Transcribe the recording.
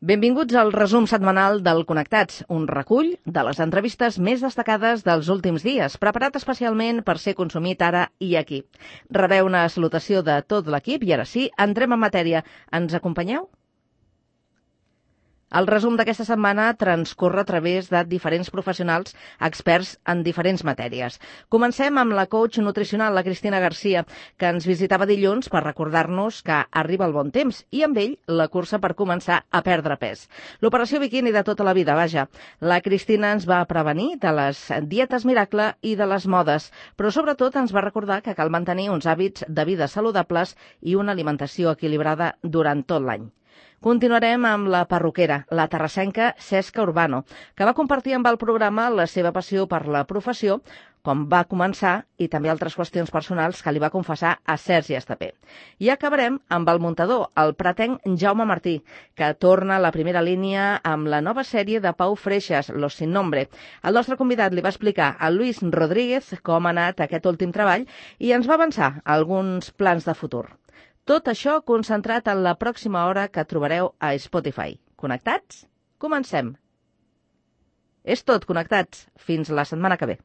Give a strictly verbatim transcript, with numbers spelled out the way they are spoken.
Benvinguts al resum setmanal del Connectats, un recull de les entrevistes més destacades dels últims dies, preparat especialment per ser consumit ara i aquí. Rebeu una salutació de tot l'equip i ara sí, entrem en matèria. Ens acompanyeu? El resum d'aquesta setmana transcorre a través de diferents professionals experts en diferents matèries. Comencem amb la coach nutricional, la Cristina Garcia, que ens visitava dilluns per recordar-nos que arriba el bon temps i amb ell la cursa per començar a perdre pes. L'operació biquini de tota la vida, vaja. La Cristina ens va prevenir de les dietes miracle i de les modes, però sobretot ens va recordar que cal mantenir uns hàbits de vida saludables i una alimentació equilibrada durant tot l'any. Continuarem amb la perruquera, la terrassenca Cesca Urbano, que va compartir amb el programa la seva passió per la professió, com va començar i també altres qüestions personals que li va confessar a Sergi Estapé. I acabarem amb el muntador, el pretenc Jaume Martí, que torna a la primera línia amb la nova sèrie de Pau Freixas, Los Sin Nombre. El nostre convidat li va explicar a Luis Rodríguez com ha anat aquest últim treball i ens va avançar alguns plans de futur. Tot això concentrat en la pròxima hora que trobareu a Spotify. Connectats? Comencem! És tot, Connectats. Fins la setmana que ve.